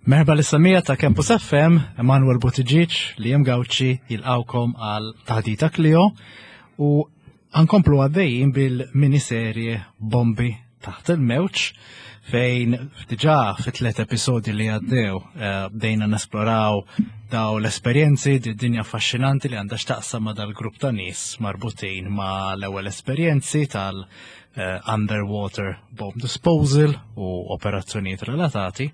Merħba lis-semmiegħa ta' Campus FM, Emanuel Buttigieg li jem Gauci jilqawkom għal taħdita Clio u għankomplu għaddejjin bil-miniserje Bombi taħt il-mewġ fejn diġà fi tlet episodji li għaddew eh, bdejna nesploraw daw l-esperjenzi, di dinja affaxxinanti li għandha x'taqsam ma' dal-grupp ta' nies marbutin ma' l-ewwel esperjenzi tal eh, underwater bomb disposal u operazzjonijiet relatati.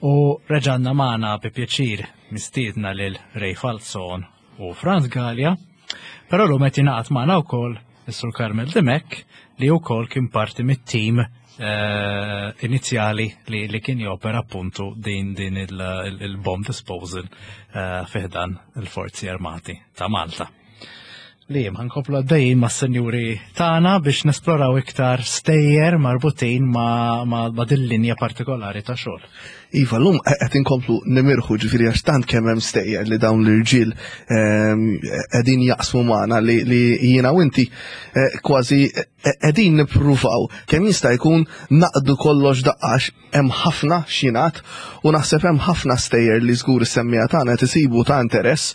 U reġanna magħna bi pjaċir mistiedna lil Ray Falzon u Franz Gallia, però l qed jingħaqad magħna wkoll is-Sur Carmel Dimek li wkoll kien parti mit-tim eh, inizjali li, li kien jopera appuntu din din il-bomb disposal eh, fiħdan il-Forzi Armati ta' Malta. Li ħankomplu għaddejjin ma' senjuri tagħna biex nesploraw iktar stejjer marbutin ma', ma, ma din linja partikolari ta' xogħol. Iva, l-lum qed inkomplu nimirħu ġifieri għax tant kemm hemm stejjer li dawn l-irġiel ehm, qegħdin jaqsmu magħna li, li jiena u inti eh, kważi eh, qegħdin nippruvaw kemm jista' jkun naqdu kollox daqqax hemm ħafna x'jingħad u naħseb hemm ħafna stejjer li żgur is-semmija tagħna qed isibu ta' interess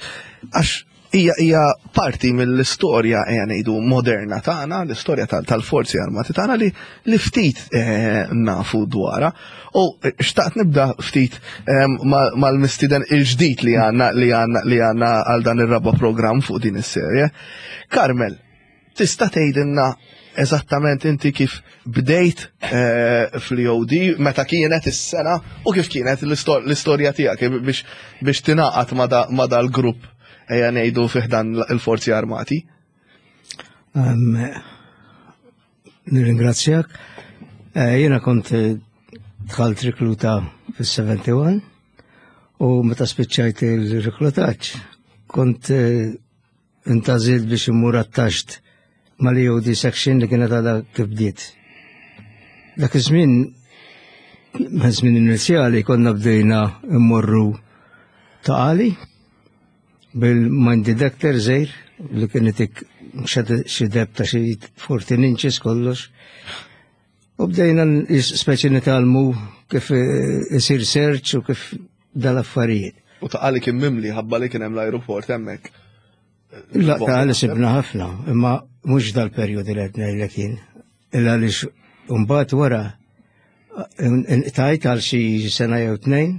għax hija hija parti mill-istorja ejja ngħidu moderna tagħna, l-istorja tal-forzi armati tagħna li li ftit eh, nafu dwarha. U eh, xtaqt nibda ftit eh, mal-mistiden il-ġdid li għandna li għandna li għandna għal dan ir-raba programm fuq din is-serje. Carmel, Tista' tgħidilna eżattament inti kif bdejt eh, fl-EOD, meta kienet is-sena u kif kienet l-istorja tiegħek biex biex tingħaqad ma' dal-grupp ejja ngħidu fih dan il-Forzi Armati? Nirringrazzjak. Eh, jiena kont eh, dħalt rikluta fis-71 u meta spiċċajt il-reklutaġġ kont Intażilt biex immur attaxed mal-EOD section li kienet għadha kif bdiet. Dak iż-żmien, żmien inizjali konna bdejna immorru ta' għali bil-mind detector żejr li kien itik xi deb ta' xi 14 inches kollox. U bdejna speċi nitalmu kif eh, isir search u kif dal-affarijiet. U ta' għali kien mimli ħabba li kien hemm l-ajruport hemmhekk. La ta' għali sibna ħafna, imma mhux dal-perjodi li qed ngħidlek jien. Illa għaliex mbagħad wara inqtajt għal xi sena jew tnejn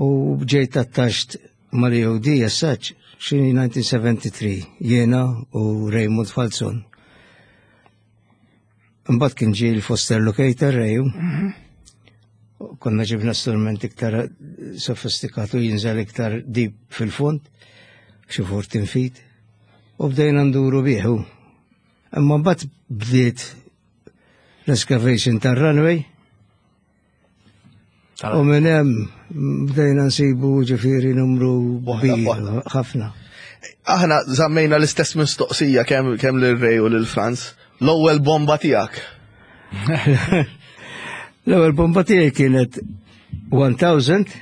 u ġejt attaxt mal-EOD as such xi 1973 jiena u Raymond Falzon. Mbagħad kien ġie l-foster locator reju. Mhm. Konna ġibna strument iktar sofistikat u jinżel iktar deep fil-fond, xi 14 feet, u bdejna nduru bieħu. Imma mbagħad bdiet l-excavation tar-runway, U minn hemm bdejna nsibu ġifieri numru kbir ħafna. Aħna żammejna l-istess mistoqsija kemm kemm lil Ray u lil Franz. L-ewwel bomba tiegħek. L-ewwel bomba tiegħi kienet 1000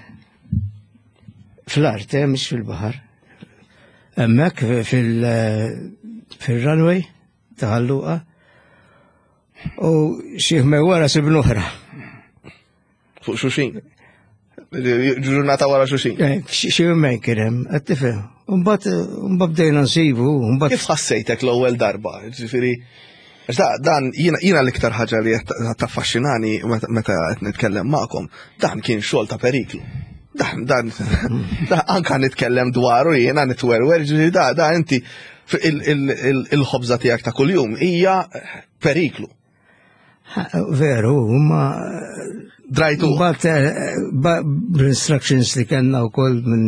fl-art, eh, mhux fil-baħar. Hemmhekk fil-runway ta' Ħalluqa. U xi wara sibnu oħra. Fuq xuxin. Ġurnata wara xuxin. Eh, xi jumejn kien hemm, qed tifhem. Mbagħad bdejna nsibu, mbagħad. Kif ħassejtek l-ewwel darba? Ġifieri dan jiena l-iktar ħaġa li qed taffaxxinani meta qed nitkellem magħkom, dan kien xogħol ta' periklu. Dan, dan, anka nitkellem dwaru jiena nitwerwer, ġifieri da, da inti il-ħobża tiegħek ta' kuljum hija periklu. Veru, ma Drajtu. Bat eh, bl-instructions li kellna wkoll minn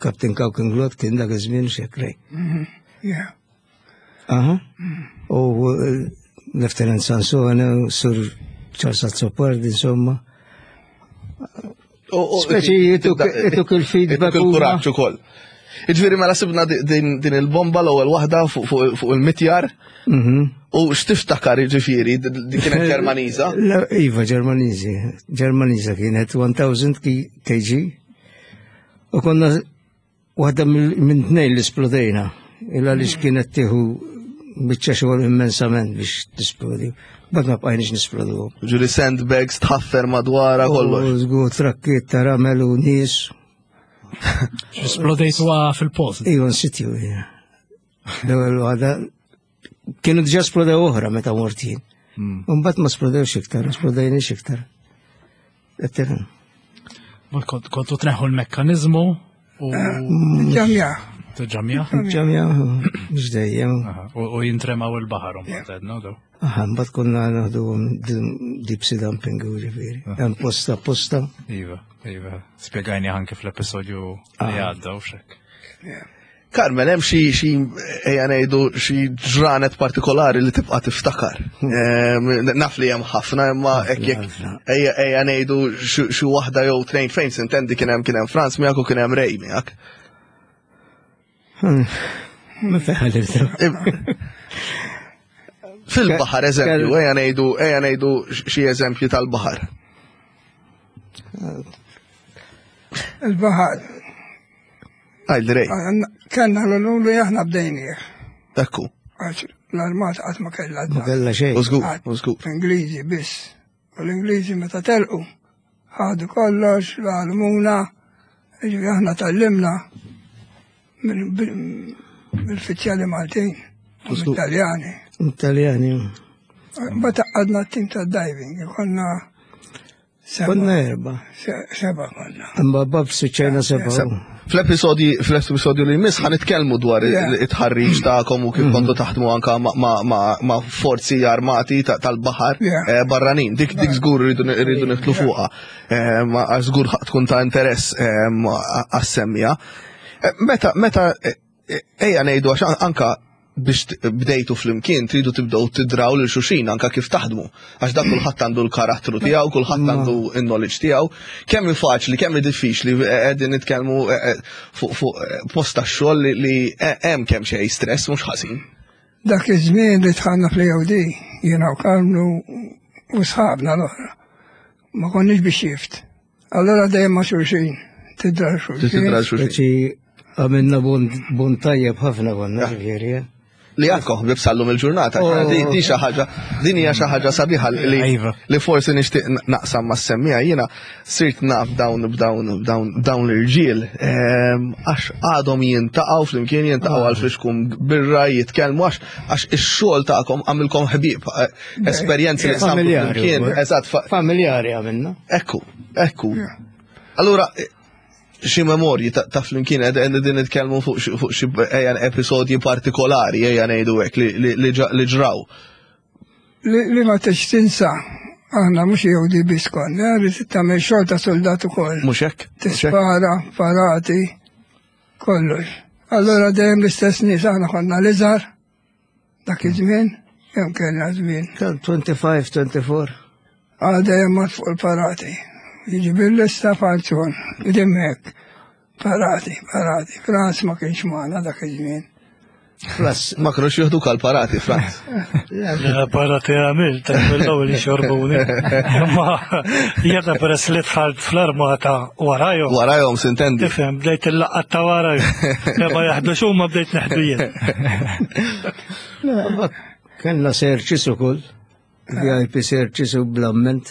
Captain Kaukenglot kien dak iż-żmien xekrej. Mhm, yeah. Aha. U eh, Lieutenant Sansone, Sur Charles Azzopardi, insomma. Speċi jituk il-feedback. Il-kuraġġ ukoll. Iġviri mela sibna din il-bomba l-ewwel waħda fuq il-mitjar. Mhm. U x'tiftakar ġifieri din kienet Ġermaniża? Iva, Ġermaniżi. Ġermaniża kienet 1000 kg. U konna Waħda minn tnejn li splodejna, illa li kienet tieħu biċċa xogħol immensament biex tisplodi. Bad ma bqajniex nisplodu. Ġuri sandbags tħaffer madwara kollox. Żgur trakkiet ta' ramel u nies. Splodejtu fil-post. Iva, nsitju. L-ewwel waħda kienu diġà splodew oħra meta mort jien. Hmm. Mbagħad ma splodewx iktar, ma splodejniex iktar. Kontu tneħħu l-mekkanizmu u. Ġamja. Ġamja? Ġamja, mhux dejjem. U jintremaw il-baħar mbagħad għedna daw. Aha, mbagħad konna naħdu deep sea dumping u ġifieri. Hemm posta posta. Iva, iva. Spjegajni anke fl-episodju li ah. għadda u xek. Carmen, hemm xi xi ejja ngħidu xi ġranet partikolari li tibqa' tiftakar. Ehm, naf li hemm ħafna imma hekk jekk ejja ejja ngħidu xi waħda jew tnejn fejn sintendi kien hemm kien hemm Franz miegħek u kien hemm Ray miegħek. Hmm. Ma Fil-baħar eżempju, ejja ngħidu ejja ngħidu xi eżempju tal-baħar. Il-baħar. Għajli rej. Kellna l-lulu aħna bdejnieh. Ekku. Għax l-armata qatt ma kellha. Ma kellha xejn. Użgur, użgur. Ingliżi biss. U l-Ingliżi meta telqu ħadu kollox, l-għalmuna, ġifieri aħna tallimna mill-uffiċjali Maltin, Italjani. Italjani. Mbagħad għadna t-tim tad-diving, konna Konna erba. Seba konna. Imma bab siċċajna seba. Fl-episodji fl-episodju li jmiss ħanitkellmu dwar it-ħarriġ tagħkom u kif mhm. kontu taħdmu anka ma' forzi armati tal-baħar eh, barranin. Dik dik żgur rridu nidħlu fuqha. Eh, ma żgur tkun ta' interess eh, għas-semmija. Meta meta Ejja ngħidu għax anka biex bdejtu flimkien tridu tibdew tidraw lil xulxin anka kif taħdmu. Għax dak kulħadd għandu l-karattru tiegħu, kulħadd mm. għandu n-knowledge tiegħu. Kemm hi faċli, kemm hi diffiċli eh, qegħdin nitkellmu eh, eh, fuq post tax-xogħol li hemm kemm xejn stress mhux ħażin. Dak iż-żmien li dħalna fl-EOD, jiena u Karmnu u sħabna l-oħra. Ma konniex biex shift. Allora dejjem ma' xulxin, tidra xulxin. Tidra xulxin. Speċi għamilna bun tajjeb ħafna konna ġifieri. Eh. Li għadkom ħbib sallum il-ġurnata, oh. di xi ħaġa, din hija xi ħaġa sabiħa li iva. li forsi nixtieq naqsam ma' semmija jiena sirt naf dawn b'dawn b'dawn dawn l-irġiel ehm, għax għadhom jintaqgħu flimkien jintaqgħu għal fixkum birra jitkellmu għax għax ix-xogħol tagħkom għamilkom ħbieb eh, esperjenzi li familjari. Eżatt. Familjari għamilna. Ekku, ekku. Allura, xi memorji ta' flimkien qegħdin nitkellmu fuq xi ejja episodji partikolari ejja ngħidu hekk li ġraw. Li ma tix tinsa, aħna mhux jew di biss konna, li tagħmel xogħol ta' soldat ukoll. Mhux hekk? Tispara, parati, kollox. Allura dejjem l-istess nies aħna konna l-iżgħar Dak iż-żmien, kemm kellna żmien? 25, 24. Għada jemmat fuq il-parati. Jiġi bil-lista falzon, dimmek. Parati, parati. Franz ma kienx magħna dak iż-żmien. Franz, ma kienux jieħdu kal parati, Franz. Parati għamilt, mill-ewwel jixorbuni. Ma jiena peress li dħalt fl-armata warajhom. Warajhom sintendi. Tifhem, bdejt il-laqgħat ta' warajhom. Ma jaħdux huma bdejt neħdu jien. Kellna searches ukoll, VIP searches u bl-amment.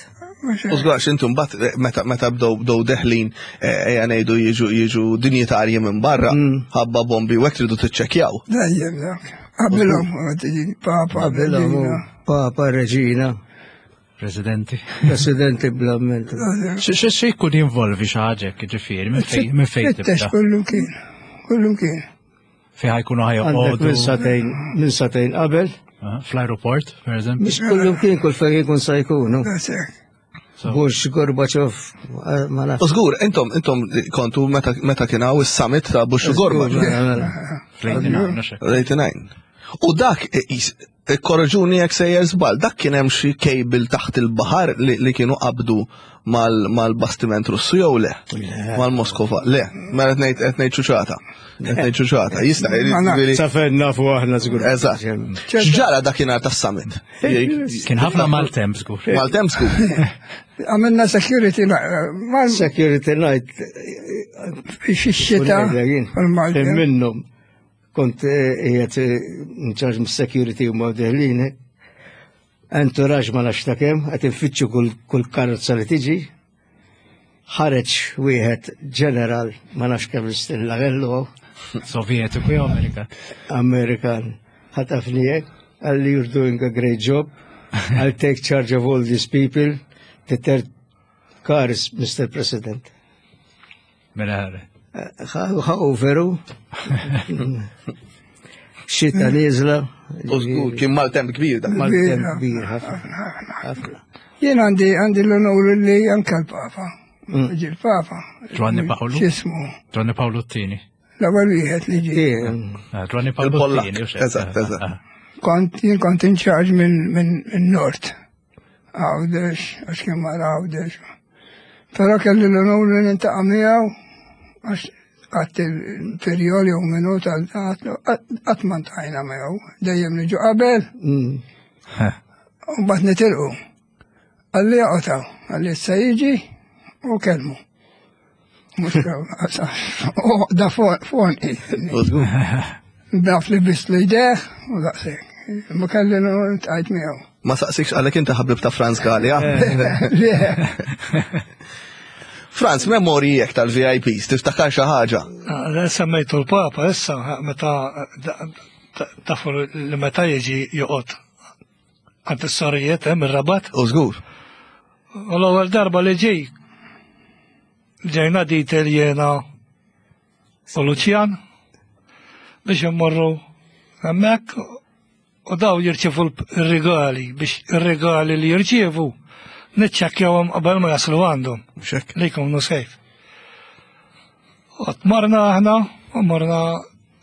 U żgħax intom bat eh, meta meta bdew bdew deħlin eh, ejja ngħidu jiġu jiġu dinjitarji minn barra mm. ħabba bombi u hekk tridu tiċċekkjaw. Dejjem dak. Qabilhom papa, qabilhom papa, reġina. Presidenti. Presidenti bl-amment. Xi jkun jinvolvi xi ħaġa hekk ġifieri minn fejn minn fejn tibda? Kullu kien. Kullu kien. Fejn ħajkunu ħajjoqogħdu. Minn satejn minn satejn qabel. Ah, fl-aeroport, per eżempju. Mhux kullu kien kull fejn jkun sa jkunu. Bush, Gorbachev, eh, ma nafx. Żgur, intom intom kontu meta kien hawn is-summit ta' Bush u Gorbachev. Mela, Fl-89. U dak Ikkoreġuni jekk sejjer żball, dak kien hemm xi cable taħt il-baħar li kienu qabdu mal-bastiment Russu jew le? Mal-Moskova. Le, mela qed ngħid qed ngħid ċuċata. Qed ngħid ċuċata. Jista' jiġifieri. Sa fejn nafu aħna żgur. Eżatt. X'ġara dakinhar tas-summit? Kien ħafna maltemp żgur. Maltemp żgur. Għamilna security night. Security night. Fix-xita. Minnhom. Kont eh, qiegħed eh, in charge mis-security u ma deħlin. Entourage ma nafx ta' kemm, qed infittxu kull karozza li tiġi. Ħareġ wieħed ġeneral ma nafx kemm istilla kellu. Sovjetiku jew Amerikan? Amerikan. Ħatafni hekk, qalli you're doing a great job. I'll take charge of all these people. The third car is Mr. President. Mela ħare. Ħa veru. Xita nieżla. U żgur kien maltemp kbir dak. Maltemp kbir ħafna. Ħafna. Jien għandi għandi l-onur li anke l-Papa. Mm. Ġi l-Papa. Giovanni Paolo. X'ismu? Giovanni Paolo Tini. L-ewwel wieħed li ġie. Ah, Giovanni Paolo Tini. Eżatt, eżatt. Ah. Kont jien kont in charge minn Nord. Għawdex, għax kien mar Għawdex. Però kelli l-onur li nintaqa' miegħu għax għat il-perjol jew minut għat ma ntajna miegħu, dejjem niġu qabel. Mm. U mbagħad nitilqu. Għalli joqgħod għalli issa jiġi u kellmu. Mux da fon Daf li biss li jdeh u daqsek. Ma kelli l-tajt miegħu. Ma saqsikx għalek inti ħabib ta' Franz Gallia. Franz, memorji jek tal-VIPs, tiftakar xi ħaġa? Ah, semmejtu l-Papa issa meta tafu li meta jiġi joqgħod għand is-sorijiet hemm ir-Rabat. U żgur. U l-ewwel darba li ġej ġejna detail jiena u Luċjan biex immorru hemmhekk u daw jirċievu r-rigali biex ir-rigali li jirċievu niċċekkjawhom qabel ma jaslu għandhom. Li jkunu safe. U marna aħna u marna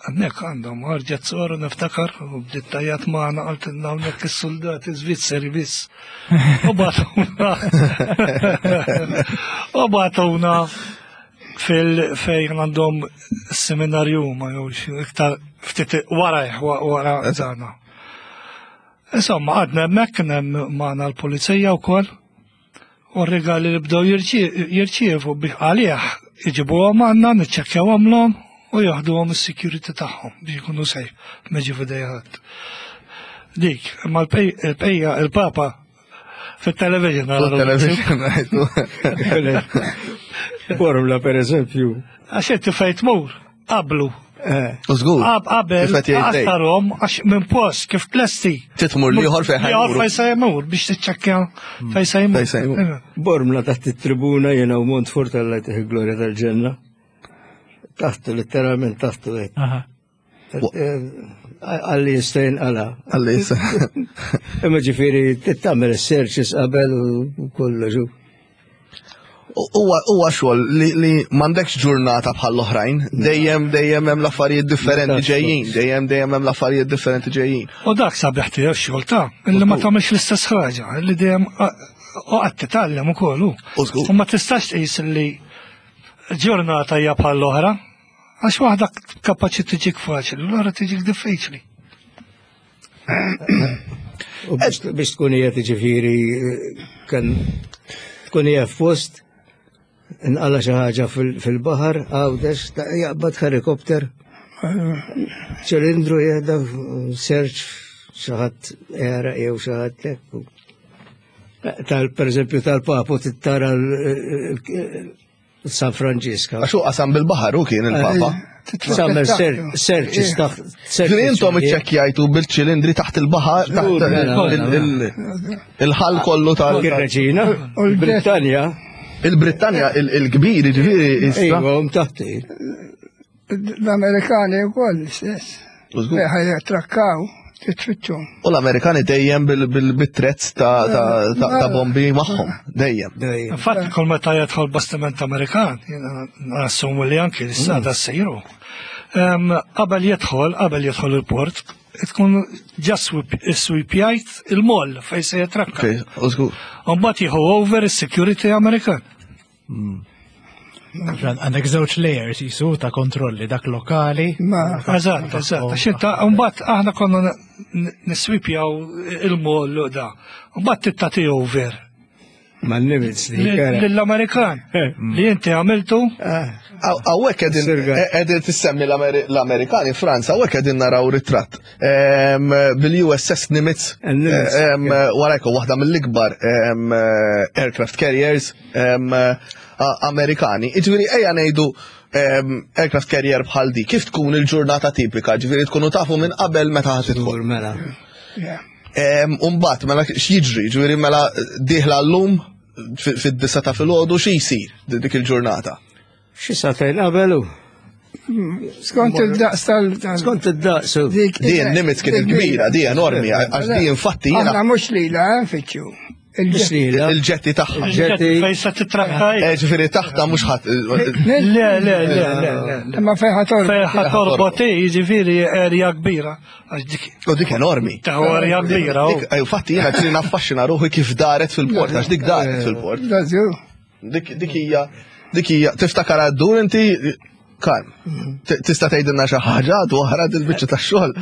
Hemmhekk għandhom ħarġet soru niftakar u bdiet tajjat magħna qaltilna hawnhekk is-soldati Svizzeri biss. U bagħtuna. U bagħtuna fil fejn għandhom seminarju ma jew iktar ftit wara wara dana. Insomma, għadna hemmhekk kien hemm magħna l-pulizija wkoll. U r-rigali li bdew jirċievu biex għalih iġibuhom għandna, niċċekkjawhomlhom u jaħduhom is-security tagħhom biex ikunu safe ma ġi f'idejha ħadd. Dik, imma l-pejja il-Papa fit-television. Fit-television, Formula per eżempju. Għax inti fejn tmur, qablu. Eh. U żgur. Qabel, għastarhom għax minn post kif tlesti. Titmur liħor fejn ħajmur. Fejn se jmur biex tiċċekkja hmm. fejn se jmur. Fejn se jmur. Bormla taħt it-tribuna jiena u Montfort alla jtih glorja tal-ġenna. Taħtu, letteralment taħtu. Eh, għalli jistajn għala. Għalli jistajn. Imma ġifiri, tittamel searches qabel u kollox. Huwa xogħol li, li m'għandekx ġurnata bħal oħrajn, dejjem dejjem hemm l-affarijiet differenti ġejjin, dejjem dejjem hemm l-affarijiet differenti ġejjin. U dak sabiħ tiegħu x-xogħol ta' illi ma tagħmilx l-istess ħaġa, li dejjem u qatt titgħallem ukoll. U ma tistax tqis li ġurnata hija bħal l-oħra, Għax waħda kapaċi tiġik faċli, l-oħra tiġik diffiċli. U biex tkun hija tiġifieri kan tkun hija f'post nqala xi ħaġa fil-baħar għawdex jaqbad helikopter ċilindru jehda search xi ħadd era jew xi ħadd Tal per eżempju tal-papu tittara San Franġiska. Għax hu qasam bil-baħar u kien il-Papa. Summer searches taħt. Ġifieri intom iċċekkjajtu bil-ċilindri taħt il-baħar, taħt mela, mela. il-ħal kollu tal. Il-Reġina, il-Brittanja. Il-Brittanja, il-kbir, ġifieri. Iva, taħt. L-Amerikani wkoll l-istess. Ħaj trakkaw, titfittxu. U l-Amerikani dejjem bil-trezz ta' bombi magħhom, dejjem. Infatti kull meta jadħol bastiment Amerikan, nassumu li anki l-sada mm. sejru. Qabel jidħol, qabel jidħol il-port, tkun ġa swipjajt il-moll fej se jitrakka. Mbagħad jieħu over is-security Amerikan. Għandek żewġ layers jisu ta' kontrolli dak lokali. Eżatt, eżatt. Xinta, mbagħad aħna konna niswipjaw il-moll da. Mbagħad tittati over. Ma Nimitz Lill-Amerikan li inti għamiltu. Hawnhekk qegħdin tissemmi l-Amerikani Franza, hawnhekk qegħdin naraw ritratt bil-USS Nimitz warajku waħda mill-ikbar aircraft carriers Amerikani. Iġifieri ejja ngħidu aircraft carrier bħal di, kif tkun il-ġurnata tipika, ġifieri tkunu tafu minn qabel meta ħa tidħol. Mela. Umbat, mela x'jiġri, ġifieri mela dieħla llum fid-disa ta' filgħodu xi jsir dik il-ġurnata? Xi sagħtejn qabel hu. Skont id-daqs tal. Skont id-daqs. Din Nimitz kien il-kbira, di enormi, għax di infatti jiena. Aħna mhux lila eh, nfittxu. Il-ġetti tagħha. Il-ġetti fejn se titrakka. Eh, ġifieri taħta mhux ħadd. Le, le, le, le. Imma fejn ħatorb. Fejn ħatorbot jiġifieri erja kbira. Għax dik. U dik enormi. Ta' erja kbira. Infatti jiena ġieli naffaxxina ruħi kif daret fil-port, għax dik daret fil-port. Dik dik hija dik hija tiftakar għaddur inti Karm. Tista' tgħidilna xi ħaġa dwar il-biċċa tax-xogħol.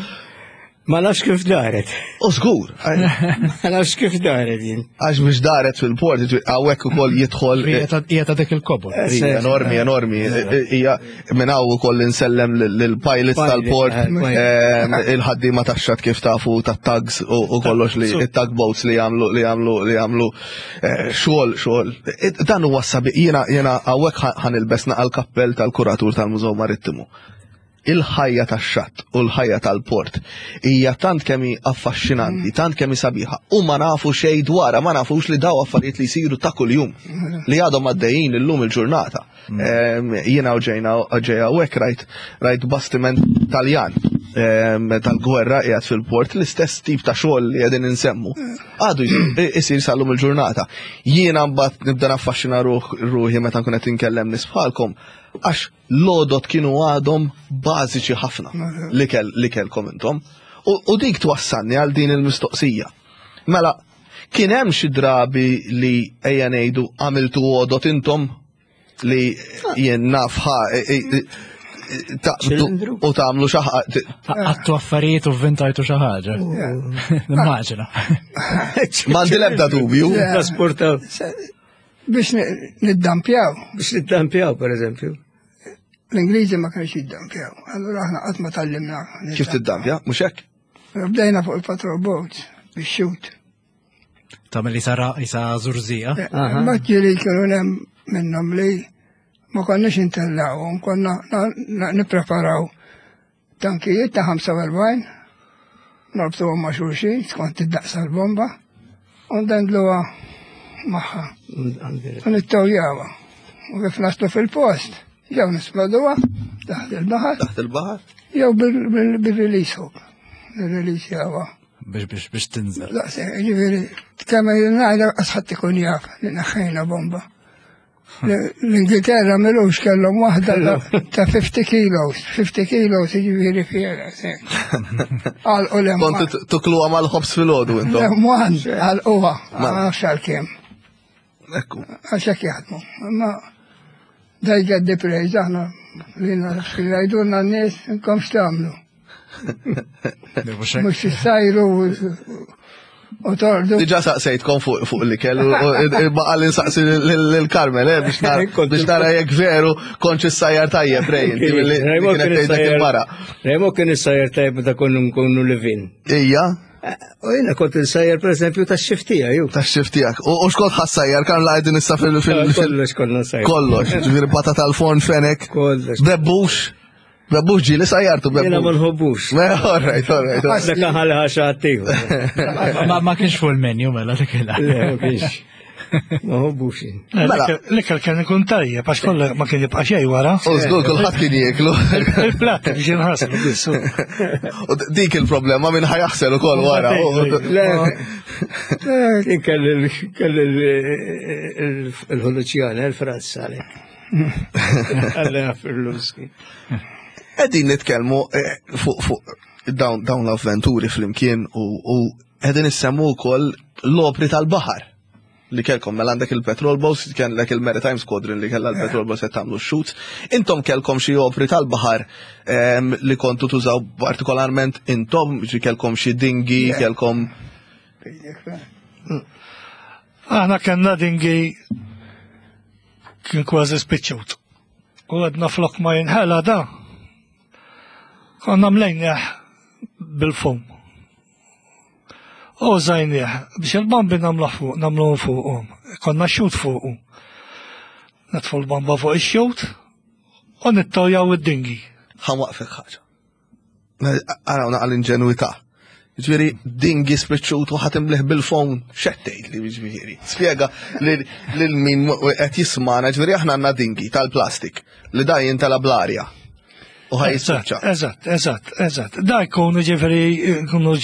Ma nafx kif daret. U żgur. Ma nafx kif daret jien. Għax biex daret fil-port, hawnhekk ukoll jidħol. Hija ta' dik il-kobor. Eh, enormi, enormi. Hija minn hawn ukoll insellem lill-pilots tal-port, eh, il-ħaddiema tax-xatt kif tafu tat-tugs u kollox li it-tugboats li jagħmlu li jagħmlu li jagħmlu eh, xogħol xogħol. Dan huwa sabi jiena jiena hawnhekk ħanilbes naqal kappell tal-kuratur tal-Mużew Marittimu. Il-ħajja tax-xatt u l-ħajja tal-port hija tant kemm hi affaxxinanti, tant kemm hi sabiħa u ma nafu xejn dwarha, ma nafux li daw affarijiet li jsiru ta' kuljum li għadhom għaddejjin illum il-ġurnata. Jiena u ġejna ġejja u hekk rajt rajt bastiment Taljan tal-gwerra qiegħed fil-port l-istess tip ta' xogħol li qegħdin insemmu. Għadu jsir sal-lum il-ġurnata. Jiena mbagħad nibda naffaxxina ruħi meta nkun qed inkellem nies bħalkom għax l-għodod kienu għadhom bażiċi ħafna li kell li kellkom intom. U dik twassalni għal din il-mistoqsija. Mela, kien hemm xi drabi li ejja ngħidu għamiltu għodot intom li jien naf ħa e, e, e, taqbdu u tagħmlu xi ħaġa. Għattu affarijiet u vvintajtu xi ħaġa. Nimmaġina. M'għandi l-ebda dubju. Trasportaw. Biex niddampjaw. Biex niddampjaw, per eżempju. L-Ingliżi ma kienx jiddampjaw. Allura aħna qatt ma tallimna. Kif tiddampja? Mhux hekk? Bdejna fuq il-patrol boat biex xut. Tagħmel isa isa zurzija. Eh, ma ġieli kienu hemm minnhom li ma konniex intellawhom, konna nippreparaw Tankijiet ta' 45, norbtuhom ma' xulxin skont id-daqs tal-bomba, u ndendluha magħha. U nittawjawha. U kif naslu fil-post, jew nisploduha taħt il-baħar. Taħt il-baħar? Jew bil-release hook. Il-release jawa. Biex biex biex tinżel. Daqs, ġifieri, kemm ngħidha qas ħadd ikun jaf li neħħejna bomba. L-Ingilterra milux kellhom waħda ta' 50 kilos, 50 kilos jiġifieri fiera. Għalqu l Kont tukluha mal-ħobs fil-ħodu intom. L-M1 għalquha, ma nafx għalkemm. Ekku. Għax hekk jaħdmu. Imma they get the praise aħna li jgħidulna n-nies inkom x'tagħmlu. Mux jissajru u tordu. Diġa saqsejtkom fuq li kellu, baqa li nsaqsi l-Karmel, eh, biex nara jekk veru konċ sajjar tajjeb, rej, inti mill-li kienet tgħidlek il-mara. Rejmo kien is-sajjar tajjeb meta konna nkunu livin. Ija. Eh, u jena kont insajjar per eżempju ta' xiftija, ju. Ta' xiftijak. U xkont ħassajjar, kan la għedin issa fil- Kollox konna sajjar. Kollox, ġviri patata tal-forn fenek. Kollox. Bebbux. Bebbux ġili sajjartu bebbux. Jena ma nħobbux. All right, all right. Dak ħalli ħaxa għattiħu. Ma kienx fuq il-menu mela dik il Le, ma kienx. Ma nħobbux. Mela. L-ikel kien ikun tajjeb, għax kollha ma kien jibqa' xejn wara. U żgur kulħadd kien jieklu. Il-platt biex jinħaslu biss. U dik il-problema minn ħajaħsel ukoll wara. Le, kien kelli il-ħuluċjana, il-Franz għalek. Għalla Firluski. Qegħdin nitkellmu eh, fuq fuq dawn dawn l-avventuri flimkien u qegħdin issemmu wkoll l-opri tal-baħar li kelkom mela għandek il-petrol boats, kellek il-Maritime Squadron li kellha l-petrol boats qed tagħmlu shoots. Intom kelkom xi opri tal-baħar ehm, li kontu tużaw partikolarment intom, ġi kelkom xi dingi, kelkom. Aħna kellna dingi kien kważi spiċċut. U għedna flok ma jinħela da. Konna mlejnieh bil-fum. U użajnieh biex il-bombi nagħmluh fuq, nagħmluhom fuqhom. Konna xut fuqu. Natfu l-bomba fuq ix-xut u nittawjaw id-dingi. Ħa waqfek ħaġa. Araw naqal inġenwità. Ġifieri dingi spiċċut u ħatimliħ bil-fon xettejt li ġifieri. Spjega lil min qed jismana, ġifieri aħna għandna dingi tal-plastik li da jintela bl-arja. U ħaj jispiċċa. Eżatt, eżatt, eżatt. Da jkunu ġifieri jkunu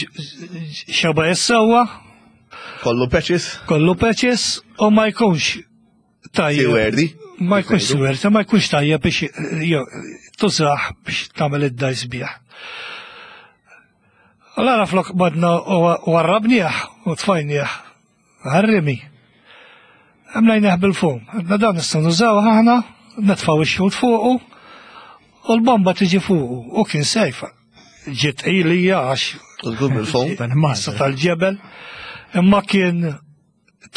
xaba jissawa. Kollu patches. Kollu patches u ma jkunx tajjeb. Siwerdi. Ma jkunx siwerdi, ma jkunx tajjeb biex tużaħ biex tagħmel id-dajs bih. Allora flok badna u warrabnieh u tfajnieh Għar-rimi. Għamlajnieh bil-fum. Għadna dan nistgħu nużaw aħna, netfgħu ix-xhud fuqu u l-bomba tiġi fuqu u kien sejfa. Ġiet ilija għax. Żgur bil-fum. Tal-ġebel. Imma kien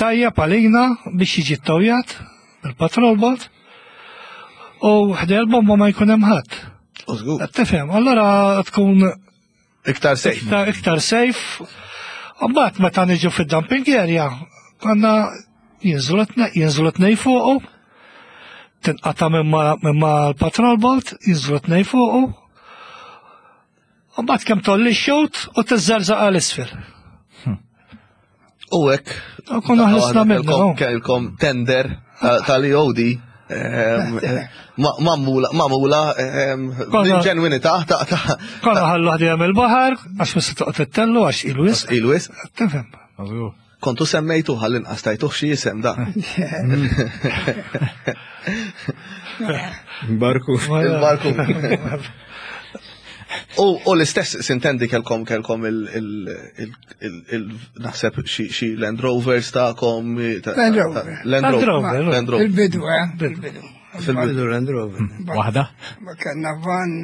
tajjeb għalina biex jiġi ttawjat bil-patrol boat u ħdej l-bomba ma jkun hemm ħadd. Tifhem, allora tkun Iktar safe. Iktar, iktar safe. Mbagħad meta niġu fid-dumping area, konna jinżlu tnej fuqu, tinqata' minn ma l-patrol boat, jinżlu tnej fuqu. Mbagħad kemm tolli x-xut u tiżżerżaq għal isfel. U hekk. Konna ħlisna minnu. Kelkom tender tal-EOD mamula bil-ġenwinità ta' ta' Konna ħallu ħdejja mill-baħar għax ma se toqgħod ittellu għax il-wis. Il-wis. Tifhem. Kontu semmejtu ħallin qastajtuh xi jisem da. Barku. Il-barku. U l-istess sintendi kelkom kelkom il naħseb xi Land Rovers ta'kom. Land Rover. Land Rover. Land Rover. Il-bidu, eh? Il-bidu. Fil-bidu Land Rover. Waħda? Ma kellna van.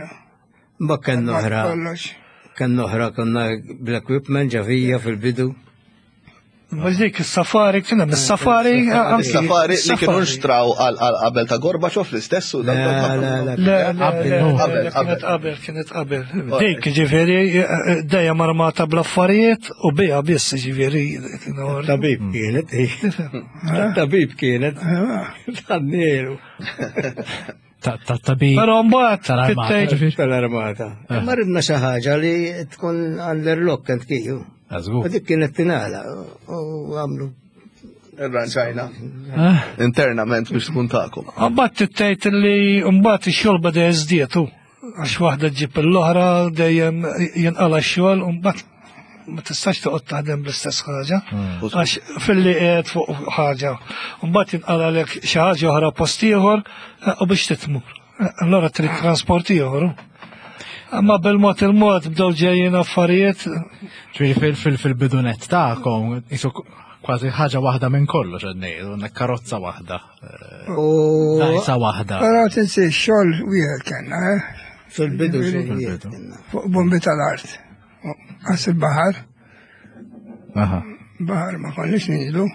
Ma kellna oħra. Kellna oħra konna bl-equipment ġavija fil-bidu. Mux dik is-safari, kien hemm is-safari. Is-safari li kienu nxtraw għal qabel ta' Gorbaċov l-istess u Le, le, qabel, kienet qabel, kienet qabel. Dik ġifieri dejjem armata bl-affarijiet u biha biss ġifieri. Tabib kienet, tabib kienet. Tannieru. Ta' tabib. Però mbagħad tal-armata. Tal-armata. Ma ridna xi ħaġa li tkun għall-irlok kent kiju. U dik kienet tingħala u għamlu Irranġajna. Ah. Internament biex tkun tagħkom. Mbagħad tittejt li mbagħad ix-xogħol beda jiżdietu għax waħda ġib l-oħra dejjem jinqala x-xogħol u mbagħad ma tistax toqgħod taħdem bl-istess ħaġa. Mm. Għax filli qiegħed fuq ħaġa, mbagħad jinqalalek xi ħaġa oħra post ieħor eh, u biex titmur. Eh, allora trid trasport ieħor. Imma bil-mod il-mod bdew ġejjin affarijiet. Ġifieri fil-bidunet tagħkom isu kważi ħaġa waħda minn kollox qed ngħidu, karozza waħda. Eh, dajsa waħda. Però tinsi xogħol wieħed kellna, eh? Fil-bidu xogħol wieħed kellna. Fuq bombi tal-art. Għas il-bahar. Bahar ma konniex ninżlu.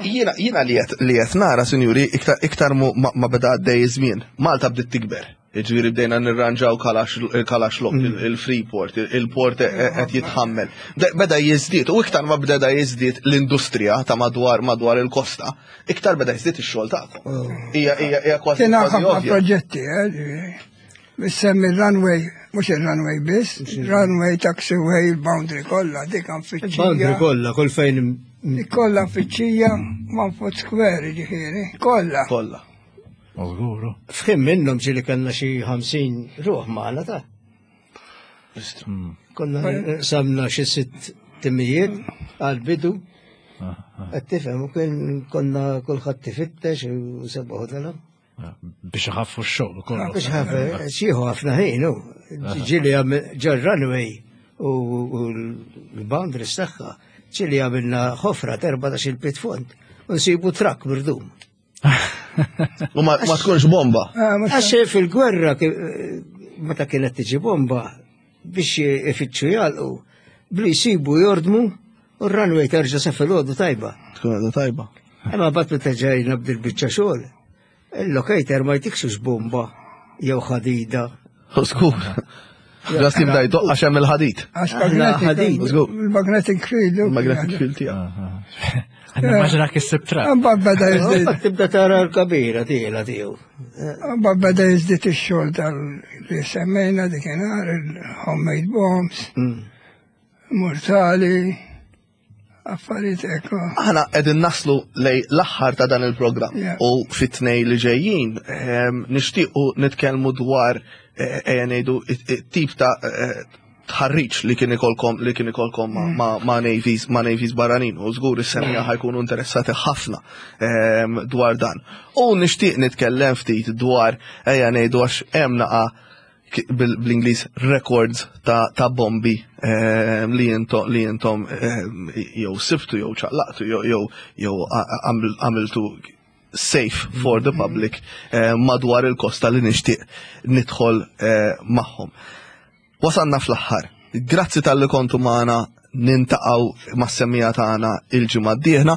Jiena jiena li qed li qed nara, sinjuri, iktar iktar ma beda għaddej iż-żmien. Malta bdiet tikber. Ġifieri bdejna nirranġaw kalax lok, mm. il-Freeport, il-port e- e- qed jitħammel. Beda jiżdied u iktar ma beda jiżdied l-industrija ta' madwar madwar il-kosta, iktar beda jiżdied ix-xogħol tagħkom. Oh. Hija hija hija kważi. Kien ħafna proġetti, eh, Semmi runway, mux il-runway biss, runway, taxiway, il-boundary kollha, dik nfittxija. Boundary kollha, kull fejn. Dik kollha nfittxija, one foot square, ġifieri, kollha. Kollha. Żguru. F'ħin minnhom ġieli kellna xi 50 ruħ magħna ta' hmm. Konna samna xi sitt timijiet għal-bidu. Ah, ah. Qed tifhem u kien konna kulħadd tifittex u sebaħu tal Biex iħaffu x-xogħol ukoll. Ah, biex ħaffu, xieħu ħafna ħin, u ġili ġol runway u l-boundaries tagħha, ġili għamilna ħofra 14 il-pit fond, u nsibu trakk mirdum. U ma tkunx bomba. Ah, Għax fil-gwerra, meta kienet tiġi bomba, biex ifittxu jalqu, bli jsibu jordmu. U r-runway terġa' sa filgħodu tajba. Tkun għadha tajba. Imma bat meta ġejna bdil biċċa xogħol, il-locator ma jtikx bomba jew ħadida. Skur. Ġas jibda jdoqqa għax hemm il-ħadid. Għax magnetic, il-magnetic field. Il-magnetic field tiegħek. Nimmaġina kissib tra. Mbagħad beda jiżdied. Tibda tara l-kabira tiela tiegħu. Mbagħad beda jiżdied ix-xogħol tal li semmejna dikinhar il-homemade bombs. Mm. Mortali affarijiet ekku. Aħna qegħdin naslu lej l-aħħar ta' dan il-programm u fit-tnej li ġejjin ehm, nixtiequ nitkellmu dwar eh, ejja ngħidu tip ta' eh, tħarriġ li kien ikolkom li kien ikolkom mm. ma' navies ma' navies barranin u żgur is-semija mm. ħajkunu interessati ħafna ehm, dwar dan. U nixtieq nitkellem ftit dwar ejja ngħidu għax hemm naqa' bl-Ingliż records ta', ta bombi ehm, li jintom li jintom ehm, jew sibtu jew ċaqlaqtu jew jew għamiltu safe for the public ehm, madwar il-kosta li nixtieq nidħol eh, magħhom. Wasalna fl-aħħar. Grazzi talli kontu magħna nintaqgħu mas-semmija tagħna il-ġimgħa d-dieħla.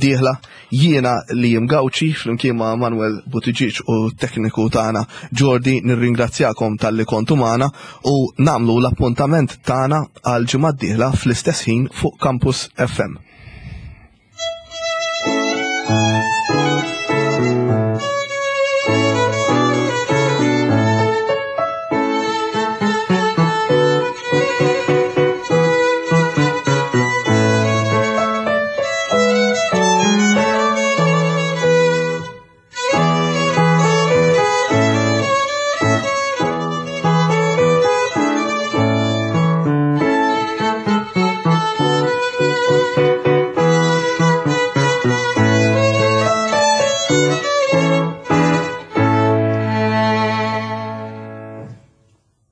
Dieħla jiena li Gawċi flimkien ma' Manuel Buttigieg u tekniku tagħna Jordi nirringrazzjakom talli kontu magħna u nagħmlu l-appuntament tagħna għal ġimgħa d-dieħla fl-istess ħin fuq Campus FM.